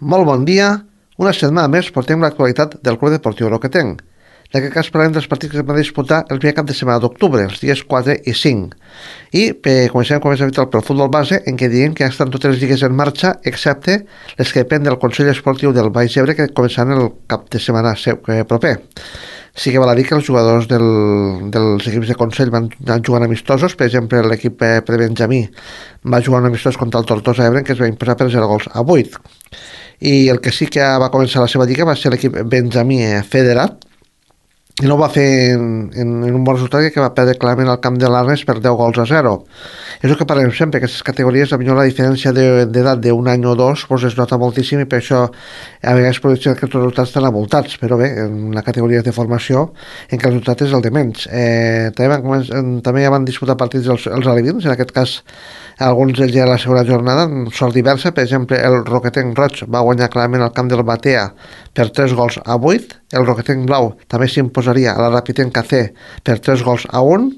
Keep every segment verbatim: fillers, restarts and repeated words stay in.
Molt bon dia. Una setmana més portem l'actualitat del Club Deportiu Roquetenc. En aquest cas parlem dels partits que es van disputar el primer cap de setmana d'octubre, els dies quatre i cinc. I eh, comencem com és habitual pel futbol base, en què diem que ja estan totes les lligues en marxa, excepte les que depèn del Consell Esportiu del Baix Ebre, que començaran el cap de setmana eh, proper. Sí que val a dir que els jugadors del, dels equips de Consell van anar jugant amistosos. Per exemple, l'equip eh, prebenjamí va jugar un amistós contra el Tortosa Ebre, que es va imposar per zero gols a vuit. I el que sí que va començar la seva lliga va ser l'equip benjamí federat, i no ho va fer en, en, en un bon resultat, que va perdre clarament al camp de l'Arnes per deu gols a zero. És el que parlem sempre, aquestes categories, potser la diferència d'edat d'un any o dos pues es nota moltíssim, i per això a vegades produeixen que els resultats estan avoltats, però bé, en la categoria de formació en què el resultat és el de menys. Eh, també, van començar, també ja van disputar partits els, els alevins, en aquest cas alguns d'ells ja a la segona jornada, en sort diversa. Per exemple, el Roquetenc Roig va guanyar clarament al camp del Batea per tres gols a vuit, el Roquetenc Blau també s'imposaria a la Rapitenca C per tres gols a un,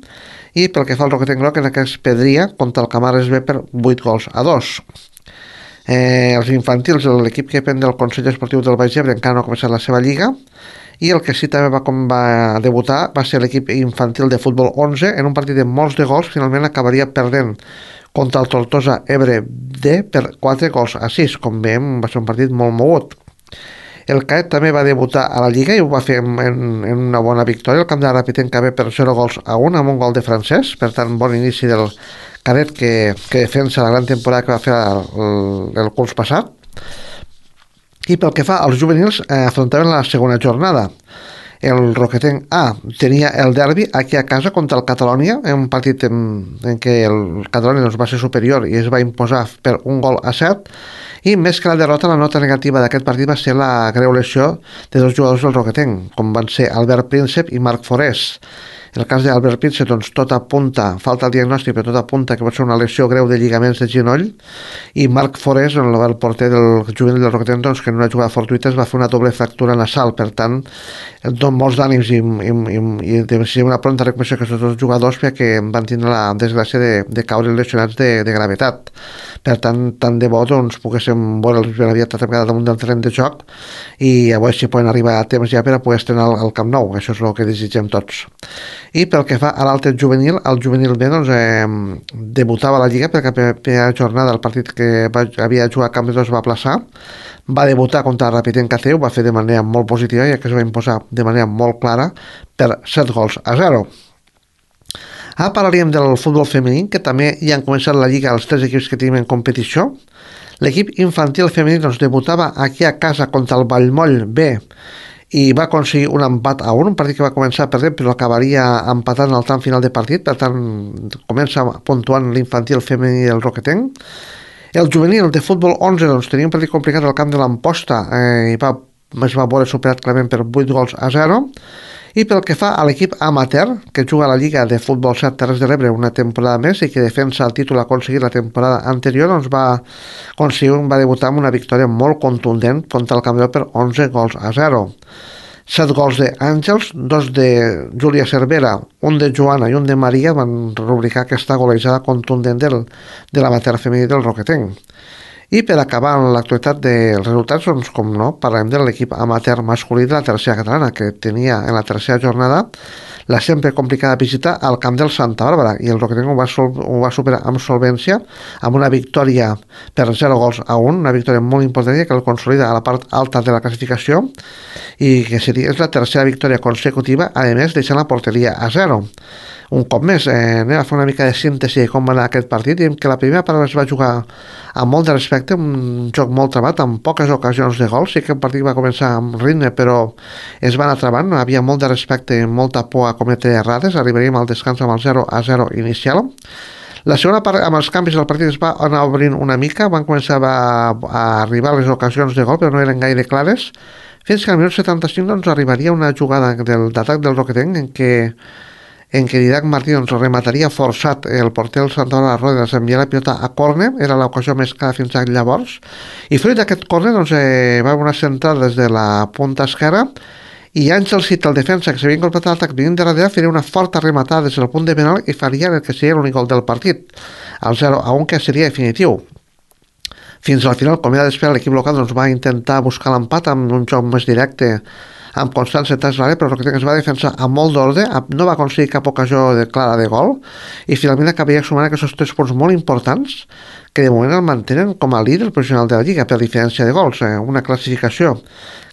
i pel que fa al Roquetenc Groc, en aquest pedria contra el Camares B per vuit gols a dos. Eh, els infantils, l'equip que depèn del Consell Esportiu del Baix Ebre, encara no ha començat la seva lliga, i el que sí també va, com va debutar va ser l'equip infantil de futbol onze, en un partit de molts de gols. Finalment acabaria perdent contra el Tortosa Ebre D per quatre gols a sis. Com veiem, va ser un partit molt mogut. El Caet també va debutar a la Lliga i ho va fer en, en una bona victòria. El camp de la Rapitenca B per zero gols a un, amb un gol de francès. Per tant, bon inici del Cadet, que, que defensa la gran temporada que va fer el, el, el curs passat. I pel que fa als juvenils, eh, afrontaven la segona jornada. El Roquetenc A tenia el derbi aquí a casa contra el Catalònia, en un partit en, en què el Catalònia doncs, va ser superior i es va imposar per un gol a set. I més que la derrota, la nota negativa d'aquest partit va ser la greu lesió de dos jugadors del Roquetenc, com van ser Albert Príncep i Marc Forés. En el cas d'Albert Príncep, doncs, tot apunta, falta el diagnòstic, però tot apunta que pot ser una lesió greu de lligaments de genoll. I Marc Forés, el porter del juvenil del Roquetenc, doncs, que en una jugada fortuita es va fer una doble fractura nasal. Per tant, don molts d'ànims i, i, i, i de ser una pronta recuperació aquests dos jugadors, perquè van tindre la desgràcia de, de caure lesionats de, de gravetat. Per tant, tant de bo doncs, poguéssim veure'ls ben aviat atrapats damunt del terreny de joc, i a veure si poden arribar a temps ja per a poder estrenar al, al Camp Nou. Això és el que desitgem tots. I pel que fa a l'altre juvenil, el juvenil B doncs, eh, debutava a la Lliga, perquè la primera jornada el partit que va, havia jugat a Camp de Dos va aplaçar. Va debutar contra la Rapitenca C, ho va fer de manera molt positiva, ja que es va imposar de manera molt clara per set gols a zero. Ara parlaríem del futbol femení, que també ja han començat la Lliga els tres equips que tenim en competició. L'equip infantil femení doncs, debutava aquí a casa contra el Vallmoll B i va aconseguir un empat a un, un partit que va començar perdent però acabaria empatant al tram final de partit. Per tant, comença puntuant l'infantil femení del Roquetenc. El juvenil de futbol onze doncs, tenia un partit complicat al camp de l'Amposta, eh, i va, es va veure superat clarament per vuit gols a zero. I pel que fa a l'equip amateur, que juga a la Lliga de Futbol set Terres de l'Ebre una temporada més i que defensa el títol aconseguit la temporada anterior, doncs va aconseguir, va debutar amb una victòria molt contundent contra el Campbell per onze gols a zero. set gols d'Àngels, dos de Júlia Cervera, un de Joana i un de Maria van rubricar aquesta golejada contundent del, de l'amateur femení del Roquetenc. I per acabar amb l'actualitat dels resultats, doncs, com no, parlem de l'equip amateur masculí de la tercera catalana, que tenia en la tercera jornada la sempre complicada visita al camp del Santa Bàrbara, i el Roquetenc ho va, sol, ho va superar amb solvència, amb una victòria per zero gols a un, una victòria molt important que el consolida a la part alta de la classificació, i que seria, és la tercera victòria consecutiva, a més deixant la porteria a zero. Un cop més, eh, anem a fer una mica de síntesi de com va anar aquest partit. Diem que la primera part es va jugar amb molt de respecte, un joc molt travat, amb poques ocasions de gol. Sí que el partit va començar amb ritme, però es va anar travant, havia molt de respecte i molta por a cometre errades. Arribaríem al descans amb el zero a zero inicial. La segona part, amb els canvis del partit, es va anar obrint una mica, van començar a, a arribar les ocasions de gol, però no eren gaire clares, fins que al minut setanta-cinc doncs, arribaria una jugada d'atac del Roquetenc en què en què Didac Martí doncs, remataria forçat el porter del Santa Bàrbara Rodes, enviar la pilota a córner, era l'ocasió més clara fins a llavors, i fruit d'aquest córner doncs, eh, va una centrada des de la punta esquerra, i Àngel Cita, el defensa que s'havia incorporat a l'atac venint de darrere, faria una forta rematada des del punt de penal i faria el que seria l'únic gol del partit, el zero a un, que seria definitiu. Fins al final, com era d'esperar, l'equip local doncs, va intentar buscar l'empat amb un joc més directe, amb constància tras l'àrea, però Roquetenc es va defensar amb molt d'ordre, no va aconseguir cap ocasió de clara de gol, i finalment acabaria sumant aquests tres punts molt importants, que de moment el mantenen com a líder professional de la Lliga per diferència de gols, eh? Una classificació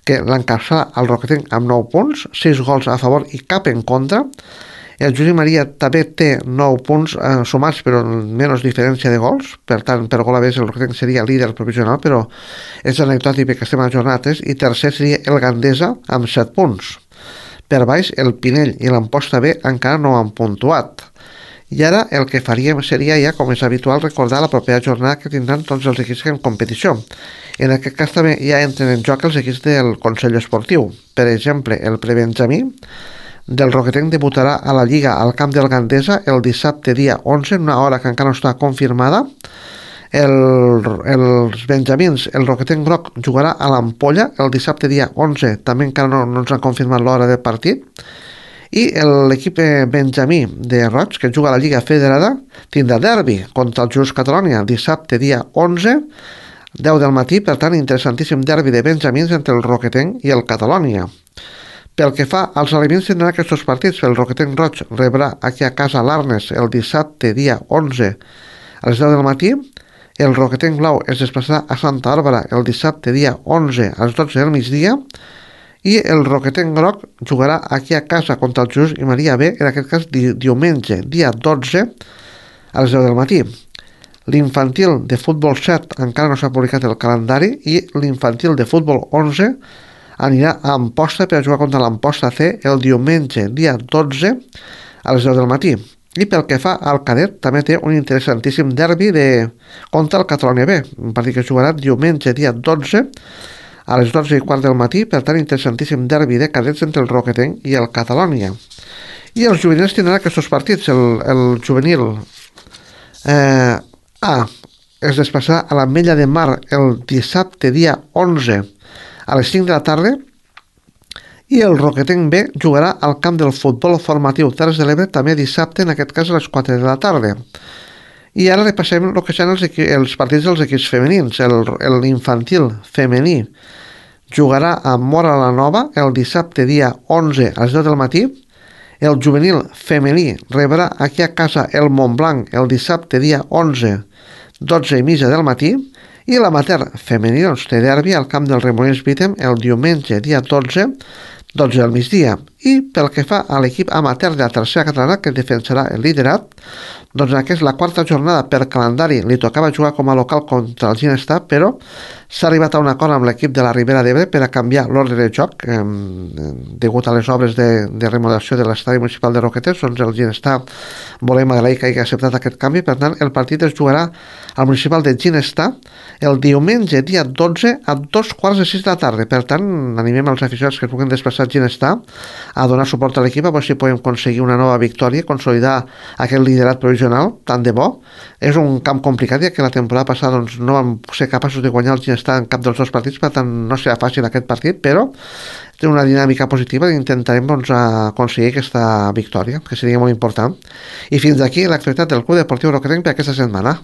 que l'encapçala el Roquetenc amb nou punts, sis gols a favor i cap en contra. El Josep Maria també té nou punts eh, sumats, però menys diferència de gols. Per tant, per gol a més, el Roquetenc seria líder provisional, però és anecdòtic perquè estem a la jornada tres, i tercer seria el Gandesa amb set punts. Per baix, el Pinell i l'Amposta B encara no han puntuat. I ara el que faríem seria ja, com és habitual, recordar la propera jornada que tindran tots els equips en competició. En aquest cas també ja entren en joc els equips del Consell Esportiu. Per exemple, el prebenjamí del Roquetenc debutarà a la Lliga al camp del Gandesa el dissabte dia onze, en una hora que encara no està confirmada. El, els benjamins, el Roquetenc groc jugarà a l'Ampolla el dissabte dia onze, també encara no, no ens han confirmat l'hora del partit. I l'equip benjamí de Roig, que juga a la Lliga Federada, tindrà derbi contra el Just Catalonia dissabte dia onze, deu del matí. Per tant, interessantíssim derbi de benjamins entre el Roquetenc i el Catalonia. Pel que fa als aliments, tindran aquests partits. El Roquetenc Roig rebrà aquí a casa l'Arnes el dissabte dia onze a les deu del matí. El Roquetenc Blau es desplaçarà a Santa Bàrbara el dissabte dia onze a les dotze del migdia. I el Roquetenc Groc jugarà aquí a casa contra el Jesús i Maria B, en aquest cas di diumenge dia dotze a les deu del matí. L'infantil de futbol set encara no s'ha publicat el calendari, i l'infantil de futbol onze anirà a Amposta per a jugar contra l'Amposta C el diumenge dia dotze a les deu del matí. I pel que fa al cadet, també té un interessantíssim derbi de... contra el Catalonia B, un partit que jugarà diumenge dia dotze a les dotze i quart del matí. Per tant, interessantíssim derbi de cadets entre el Roquetenc i el Catalonia. I els juvenils tindran aquests partits. El, el juvenil eh, A es desplaçarà a l'Ametlla de Mar el dissabte dia onze a les cinc de la tarda, i el Roquetenc B jugarà al camp del futbol formatiu Terres de l'Ebre també dissabte, en aquest cas a les quatre de la tarda. I ara repassem el que són els, els partits dels equips femenins. L'infantil femení jugarà a Móra la Nova el dissabte dia onze a les deu del matí. El juvenil femení rebrà aquí a casa el Montblanc el dissabte dia onze, dotze i mitja del matí. I l'amater femení doncs, té derbi al camp del Remolins Bítem el diumenge dia dotze, dotze del migdia. I pel que fa a l'equip amater de la tercera catalana, que defensarà el liderat, doncs en aquesta la quarta jornada per calendari li tocava jugar com a local contra el Ginestar, però s'ha arribat a un acord amb l'equip de la Ribera d'Ebre per a canviar l'ordre de joc eh, degut a les obres de, de remodelació de l'estadi municipal de Roquetes. Doncs el Ginestar volem agrair que hagi acceptat aquest canvi. Per tant, el partit es jugarà al municipal de Ginestar el diumenge dia dotze a dos quarts de sis de la tarda. Per tant, animem els aficionats que es puguin desplaçar a Ginestar a donar suport a l'equip, a veure si podem aconseguir una nova victòria, consolidar aquest liderat provisional tant de bo. És un camp complicat, ja que la temporada passada doncs, no vam ser capaços de guanyar el Ginestar en cap dels dos partits, per tant no serà fàcil aquest partit, però té una dinàmica positiva i intentarem doncs, aconseguir aquesta victòria, que seria molt important. I fins aquí l'actualitat del Club Deportiu Roquetenc per aquesta setmana.